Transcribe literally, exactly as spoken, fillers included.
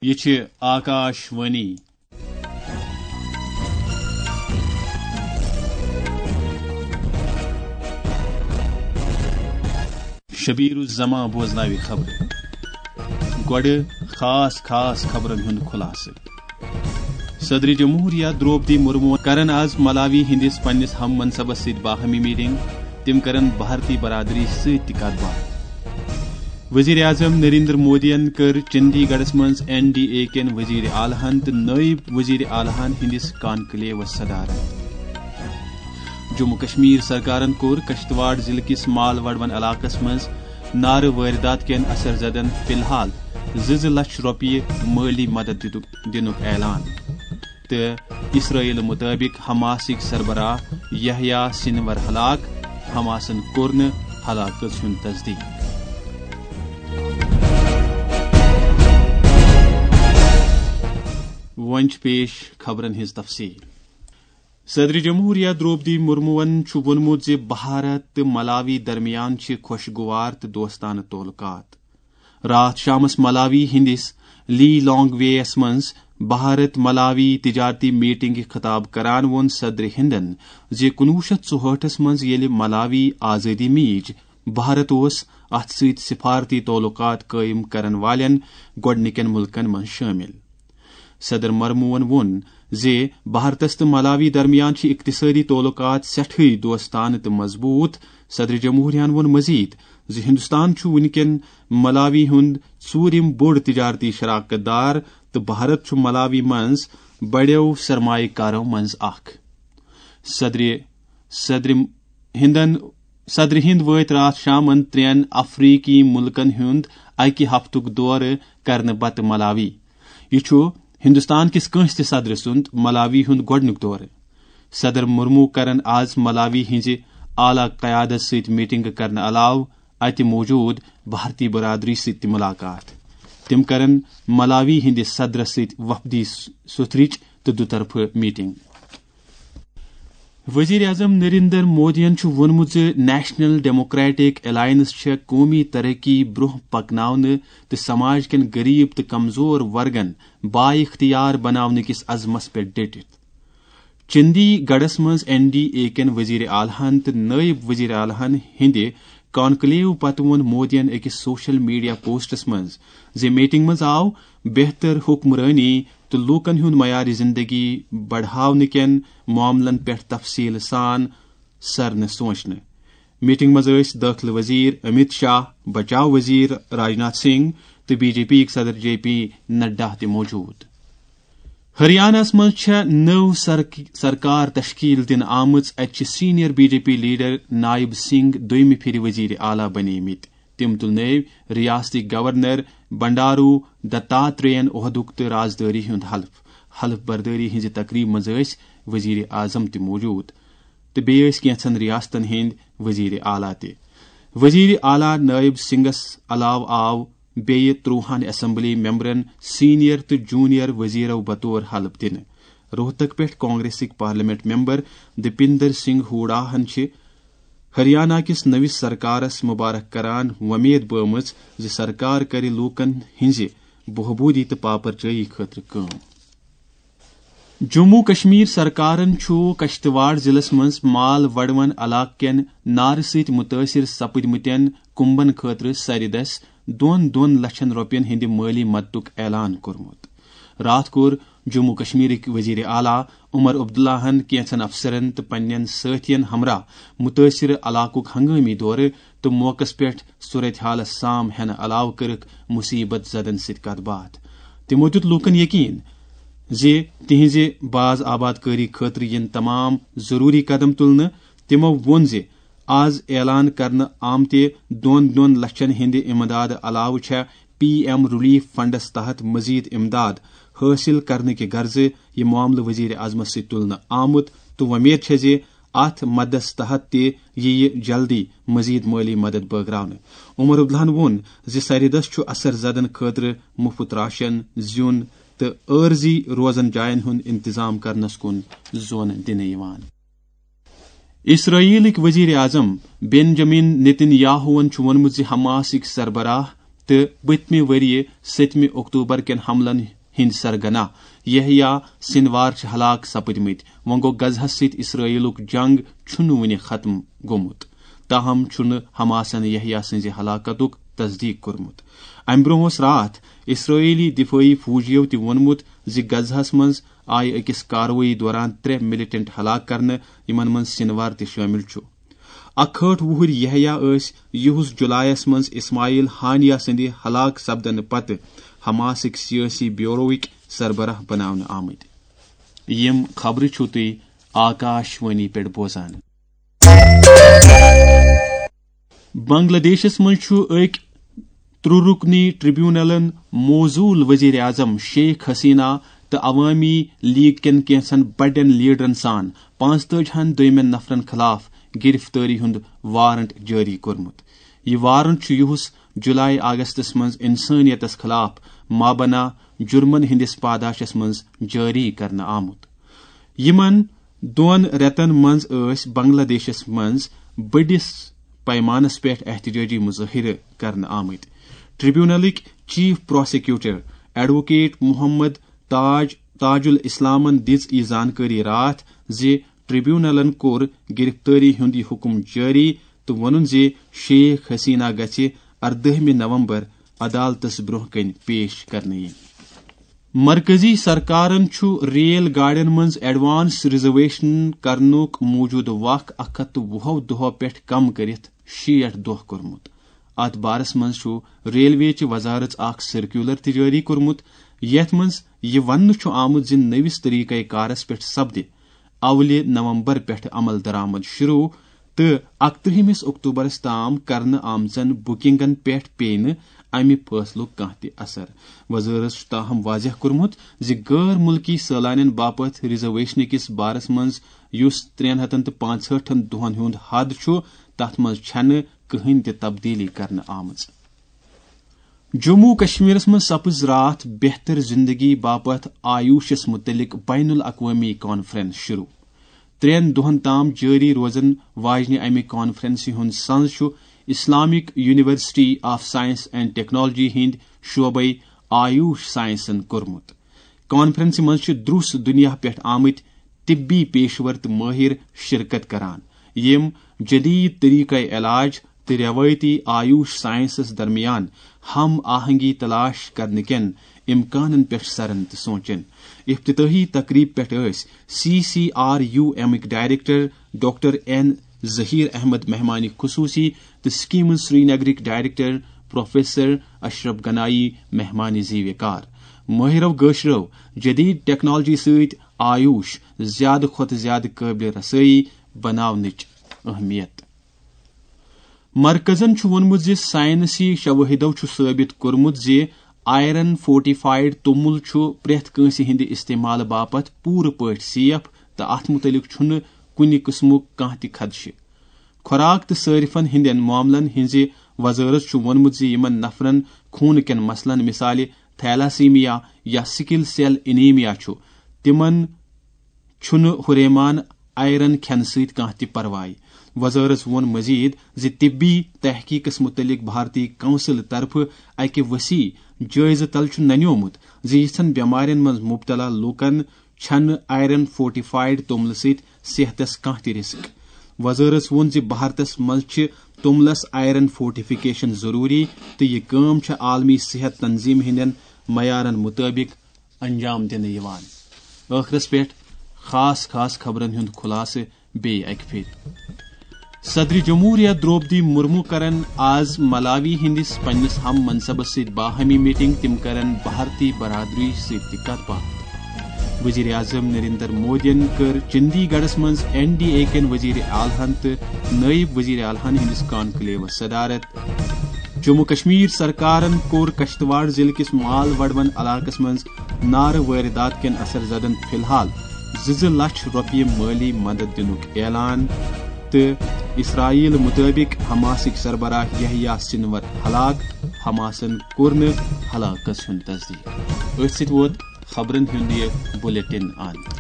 یہِ چھِ آکاش وانی۔ شبیر الزمان بوزناوِ خبرٕ۔ گۄڈٕ خاص خاص خبرن ہُنٛد خلاصہٕ۔ صدر جمہوریہ درٛوپدی مرمو کرن آز ملاوی ہٕنٛدِس پننِس ہم منصبس سۭتۍ باہمی میٹنگ۔ تِم کرن بھارتی برادری سۭتۍ تہِ کتھ باتھ۔ وزیر اعظم نریندر مودیَن کٔر چندی گڑھس منٛز این ڈی اے کٮ۪ن وزیر اعلیٰ ہن تہٕ نٲیِب وزیر اعلیٰ ہن ہٕنٛدِس کانکلیوس صدارت۔ جموں کشمیر سرکارن کوٚر کشتواڑ ضلعہٕ کِس مال وڈوَن علاقس منٛز نارٕ وٲردات کٮ۪ن اثر زدن فی الحال زٕ زٕ لچھ رۄپیہِ مٲلی مدد دِتُک، دِنُک اعلان۔ تہٕ اسرائیل مطٲبق حماسٕکۍ سربراہ یحییٰ سنور ہلاک، حماسن کوٚر نہٕ ہلاکژ ہُنٛد تصدیق۔ وۄنۍ چھِ پیش خبرن ہٕنٛز تفصیل۔ صدر جمہوریہ درٛوپدی مرموَن چھُ ووٚنمُت زِ بھارت تہٕ ملاوی درمیان چھِ خوشگوار تہٕ دوستانہٕ تعلقات۔ راتھ شامس ملاوی ہٕنٛدِس لی لانگ وے یَس منٛز بھارت ملاوی تجارتی میٹنگہِ خطاب کران ووٚن صدر ہندن زِ کُنوُہ شیٚتھ ژُہٲٹھس منٛز ییٚلہِ ملاوی آزٲدی میٖج، بھارت اوس اتھ سۭتۍ سفارتی تعلقات قٲیِم کرن والٮ۪ن گۄڈٕنِکٮ۪ن مُلکن منٛز شٲمِل۔ صدر مرموہن ووٚن زِ بھارتس تہٕ ملاوی درمیان چھِ اقتصٲدی تعلقات سٮ۪ٹھٕے دوستانہٕ تہٕ مضبوٗط۔ صدر جمہوریہن ووٚن مزید زِ ہندوستان چھُ وُنکٮ۪ن ملاوی ہُنٛد ژوٗرِم بوٚڑ تجارتی شراکت دار تہٕ بھارت چھُ ملاوی منٛز بڑٮ۪و سرمایہ کارو منٛز اکھ۔ صدر صدر ہندن صدر ہند وٲتۍ راتھ شامن ترٛٮ۪ن افریقی مُلکن ہُنٛد اکہِ ہفتُک دورٕ کرنہٕ پتہٕ ملاوی۔ یہِ چھُ ہندوستان کِس کٲنٛسہِ تہِ صدرٕ سُنٛد ملاوی ہُنٛد گۄڈٕنیُک دورٕ۔ صدر مرمو کرن آز ملاوی ہٕنٛزِ اعلیٰ قیادت سۭتۍ میٹنگ کرنہٕ علاوٕ اتہِ موجود بھارتی برادری سۭتۍ تہِ ملاقات۔ تِم کرن ملاوی ہٕنٛدِ صدرس سۭتۍ وفدی س-، سوٚتھرٕچ تہٕ دُطرفہٕ میٹنگ۔ وزیر اعظم نریندر مودیَن چھُ ووٚنمُت زِ نیشنل ڈیموکریٹک الائنس چھےٚ قومی ترقی برٛونٛہہ پکناونہٕ تہٕ سماج کٮ۪ن غریب تہٕ کمزور ورگن بااختیار بناونہٕ کِس عزمس پٮ۪ٹھ ڈٔٹِتھ۔ چندی گڑھس منٛز این ڈی اے کٮ۪ن وزیر اعلیٰ ہن تہٕ نٲیِب وزیر اعلیٰ ہن ہٕنٛدِ کانکلیو پتہٕ ووٚن مودیَن أکِس سوشل میڈیا پوسٹس منٛز زِ میٹنگ منٛز آو بہتر حکمرٲنی تہٕ لوٗکن ہُنٛد معیار زندگی بڑھاونہٕ کٮ۪ن معاملن پٮ۪ٹھ تفصیل سان سرنہٕ سونچنہٕ۔ میٹنگ منٛز ٲسۍ دٲخلہٕ وزیر امیت شاہ، بچاو وزیر راجناتھ سنگھ تہٕ بی جے پی یِک صدر جے پی نڈا تہِ موجود۔ ہریانہس منٛز چھےٚ نٔو سرک-، سرکار تشکیل دِنہٕ آمٕژ۔ اتہِ چھِ senior B J P leader Nayab Singh دوٚیمہِ پھِرِ وزیر اعلیٰ بنیمٕتۍ۔ تِم تُلنٲوۍ ریاستٕکۍ گورنر بنڈارو دتاتریین عہدُک تہٕ رازدٲری ہُنٛد حلف۔ حلف بردٲری ہٕنٛزِ تقریبہِ منٛز ٲسۍ وزیر اعظم تہِ موجود تہٕ بیٚیہِ ٲسۍ کینٛژن ریاستن ہٕنٛدۍ وزیر اعلیٰ تہِ۔ وزیر اعلیٰ نائب سنگھس علاوٕ آو بیٚیہِ ترٛوہن اسمبلی ممبرن سینئر تہٕ جونیئر وزیرو بطور حلف دِنہٕ۔ روہتک پٮ۪ٹھ کانگریسٕکۍ پارلیمنٹ ممبر دیپندر سنگھ ہوڈاہن چھِ ہریانہ کِس نٔوِس سرکارس مبارک کران وۄمید بٲومٕژ زِ سرکار کرِ لوٗکن ہٕنٛزِ بہبوٗدی تہٕ پاپرجٲیی خٲطرٕ کٲم۔ جموں کشمیر سرکارن چھُ کشتواڑ ضلعس منٛز مال وڈوَن علاقہٕ کٮ۪ن نارٕ سۭتۍ مُتٲثِر سپٕدمٕتٮ۪ن کُمبن خٲطرٕ سرِ دَسہِ دۄن دۄن لچھن رۄپین ہٕنٛدِ مٲلی مدتُک اعلان کوٚرمُت۔ راتھ کوٚر جموں کشمیرٕکۍ وزیر اعلیٰ عمر عبداللہ ہن کینٛژن افسرن تہٕ پننٮ۪ن سٲتھین ہمراہ مُتٲثِر علاقُک ہنگٲمی دورٕ تہٕ موقعس پٮ۪ٹھ صورتحالس سام ہٮ۪نہٕ علاوٕ کٔرٕکھ مُصیبت زدن سۭتۍ کتھ باتھ۔ تِمو دیُت لوٗکن یقین زِ تِہنٛزِ باز آباد کٲری خٲطرٕ یِن تمام ضروٗری قدم تُلنہٕ۔ تِمو ووٚن زِ آز اعلان کرنہٕ آمتہِ دۄن دۄن لچھن ہٕنٛدِ امدادٕ علاوٕ چھےٚ پی ایم ریلیف فنڈس تحت مزید امداد حٲصِل کرنہٕ کہِ غرضہٕ یہِ معاملہٕ وزیر اعظمس سۭتۍ تُلنہٕ آمُت تہٕ وۄمید چھےٚ زِ اتھ مدس تحت تہِ یِیہِ جلدی مزید مٲلی مدد بٲگراونہٕ۔ عمر عبداللہن ووٚن زِ سرِ دَسہِ چھُ اثر زدن خٲطرٕ مُفت راشن، زیُن تہٕ عٲرضی روزن جاین ہُنٛد انتظام کرنس کُن زون دِنہٕ یِوان۔ اسرائیلٕکۍ وزیر اعظم بنجامن نیتن یاہوٗہن چھُ ووٚنمُت زِ حماسٕکۍ سربراہ تہٕ پٔتمہِ ؤریہِ سٔتمہِ اکتوبر کٮ۪ن حملن ہٕنٛدۍ سرگناہ یحییٰ سنوار چھِ ہلاک سپٕدمٕتۍ۔ وۄنۍ گوٚو، غزہس سۭتۍ اسرائیلُک جنگ چھُنہٕ وُنہِ ختم گوٚمُت، تاہم چھُنہٕ حماسن یحییٰ سٕنٛزِ ہلاکتُک تصدیق کوٚرمُت۔ امہِ برٛونٛہہ اوس راتھ اسرائیلی دفٲعی فوجیو تہِ ووٚنمُت زِ غزہس منٛز آیہِ أکِس کاروٲیی دوران ترٛےٚ ملیٹنٹ ہلاک کرنہٕ، یِمن منٛز سنوار تہِ شٲمِل چھُ۔ اکہٲٹھ وُہُرۍ یحییٰ ٲسۍ یِہُس جولایس منٛز اسماعیل ہانیہ سٕنٛدِ ہلاک سپدنہٕ پتہٕ حماسٕکۍ سیٲسی بیوروٕکۍ سربراہ بناونہٕ آمٕتۍ۔ یِم خبرٕ چھِو تُہۍ آکاش وانی پٮ۪ٹھ بوزان۔ بنگلہ دیشس منٛز چھُ أکۍ ترٛرُکنی ٹریبونلن موصوٗل وزیر اعظم شیخ حسینہ تہٕ عوامی لیگ کٮ۪ن کینٛژن بڑٮ۪ن لیڈرن سان پانٛژتٲجی ہن دوٚیمٮ۪ن نفرن خلاف گرفتٲری ہُنٛد وارنٹ جٲری کوٚرمُت۔ یہِ وارنٹ چھُ یِہُس جولائی اگستس منٛز انسٲنیتس خلاف مابنا جرمن ہٕنٛدِس پاداشس منٛز جٲری کرنہٕ آمُت۔ یِمن دۄن رٮ۪تن منٛز ٲسۍ بنگلہ دیشس منٛز بٔڑِس پیمانس پٮ۪ٹھ احتجاجی مظٲہرٕ کرنہٕ آمٕتۍ۔ ٹریبونلٕکۍ چیف پراسیکیوٹر ایڈووکیٹ محمد تاج، تاج الاسلامن دِژ یہِ زانکٲری راتھ زِ ٹریبونلن کوٚر گرفتٲری ہُنٛد یہِ حُکم جٲری تہٕ ووٚنُن زِ شیخ حسینہ گژھِ اردٲہمہِ نومبر عدالتس برٛونٛہہ کنہِ پیش کرنہٕ یِنۍ۔ مرکزی سرکارن چھُ ریل گاڑٮ۪ن منٛز ایڈوانس ریزرویشن کرنُک موٗجوٗدٕ وق اکھ ہتھ تہٕ وُہو دۄہو پٮ۪ٹھ کم کٔرِتھ شیٹھ دۄہ کوٚرمُت۔ اتھ بارس منٛز چھُ ریلوے چہِ وزارت اکھ سرکیولر تہِ جٲری کوٚرمُت، یتھ منٛز یہِ وننہٕ چھُ آمُت زِ نٔوِس طریقہ کارس پٮ۪ٹھ سپدِ اولہِ نومبر پٮ۪ٹھ عمل درآمد شروع تہٕ اکترٕہمِس اکتوبرس تام کرنہٕ آمژن بکنگن پٮ۪ٹھ پیٚیہِ نہٕ امہِ فٲصلُک کانٛہہ تہِ اثر۔ وزارت چھُ تاہم واضح کوٚرمُت زِ غٲر مُلکی سٲلانٮ۪ن باپتھ ریزرویشنہٕ کِس بارس منٛز، یُس ترٛٮ۪ن ہتن تہٕ پانٛژہٲٹھن دۄہن ہُنٛد حد چھُ، تتھ منٛز چھنہٕ کٕہٕنۍ تہِ تبدیلی کرنہٕ آمٕژ۔ جموں و کشمیرس منٛز سپٕز راتھ بہتر زندگی باپتھ آیوشس متعلق بین الاقوامی کانفرنس شروع۔ ترٛٮ۪ن دۄہن تام جٲری روزن واجنہِ امہِ کانفرنسہِ ہُنٛد سنز چھُ Islamic university of science and technology ہٕنٛدۍ شعبے آیوش سائنسن کوٚرمُت۔ کانفرنسہِ منٛز چھِ دروس دنیا پٮ۪ٹھ آمٕتۍ طبی پیشور تہٕ مٲہِر شرکت کران، یِم جدید طریقہ علاج تہٕ روایتی آیوش سائنسس درمیان ہم آہنگی تلاش کرنہٕ کٮ۪ن امکانن پٮ۪ٹھ سرن تہٕ سونچن۔ افتتاحی تقریب پٮ۪ٹھ ٲسۍ سی سی آر یو ایمٕکۍ director doctor N Zahoor Ahmad مہمان خصوصی تہٕ سکیمز سرینگرٕکۍ ڈائریکٹر پروفیسر اشرف گنایی مہمان زیوِ کار۔ مٲہرو گٲشرو جدید ٹیکنالوجی سۭتۍ آیوش زیادٕ کھۄتہٕ زیادٕ قٲبلِ رسٲیی بناونٕچ اہمیت۔ مرکزن چھُ ووٚنمُت زِ سائنسی شوٲہدو چھُ ثٲبت کوٚرمُت زِ آئرن فورٹیفائیڈ توٚمُل چھُ پرٛٮ۪تھ کٲنٛسہِ ہٕنٛدِ استعمالہٕ باپتھ پوٗرٕ پٲٹھۍ سیف تہٕ اتھ مُتعلق چھُنہٕ کُنہِ قٕسمُک کانٛہہ تہِ خدشہٕ۔ خوراک تہٕ صٲرفن ہٕنٛدٮ۪ن معاملن ہٕنٛزِ وزارت چھُ ووٚنمُت زِ یِمن نفرن خوٗنہٕ کٮ۪ن مسلن، مثالہِ تھیلاسیمیا یا سکل سیل انیمیا چھُ، تِمن چھُنہٕ ہُریمان آئرن کھٮ۪نہٕ سۭتۍ کانٛہہ تہِ پرواے۔ وزارت ووٚن مزید زِ طبی تحقیقس متعلق بھارتی کونسل طرفہٕ اکہِ وسیع جٲیزٕ تل چھُ ننیومُت زِ یِژھن بٮ۪مارٮ۪ن منٛز مبتلا لوٗکن چھنہٕ آئرن فورٹیفائیڈ توٚملہٕ سۭتۍ صحتس کانٛہہ تہِ رسک۔ وزارت ووٚن زِ بھارتس منٛز چھِ توٚملس آئرن فورٹیفکیشن ضروری تہٕ یہِ کٲم چھےٚ عالمی صحت تنظیم ہٕنٛدٮ۪ن معیارن مطٲبق انجام دِنہٕ یِوان۔ ٲخرس پٮ۪ٹھ خاص خاص خبرن ہُنٛد خلاصہٕ بیٚیہِ اکہِ پھِرِ۔ صدر جمہوریہ درٛوپدی مرمو کرن آز ملاوی ہٕنٛدِس پننِس ہم منصبس سۭتۍ باہمی میٹنگ۔ تِم کرن بھارتی برادری سۭتۍ تہِ کتھ باتھ۔ وزیر اعظم نریندر مودیَن کٔر چندی گڑھس منٛز این ڈی اے کٮ۪ن وزیر اعلیٰ ہن تہٕ نائب وزیر اعلیٰ ہن ہٕنٛدِس کانکلیوس صدارت۔ جموں کشمیر سرکارن کوٚر کشتواڑ ضلعہٕ کِس مال وڈوَن علاقس منٛز نارٕ وٲرِدات کٮ۪ن اثر زدن فی الحال زٕ زٕ لچھ رۄپیہِ مٲلی مدد دِنُک اعلان تہٕ اسرائیل مطٲبق حماسٕکۍ سربراہ یحییٰ سنور ہلاک، حماسن کوٚر نہٕ ہلاکس ہُنٛد تصدیق۔ أتھۍ سۭتۍ ووت خبرن ہُنٛد یہِ بلیٹن اند۔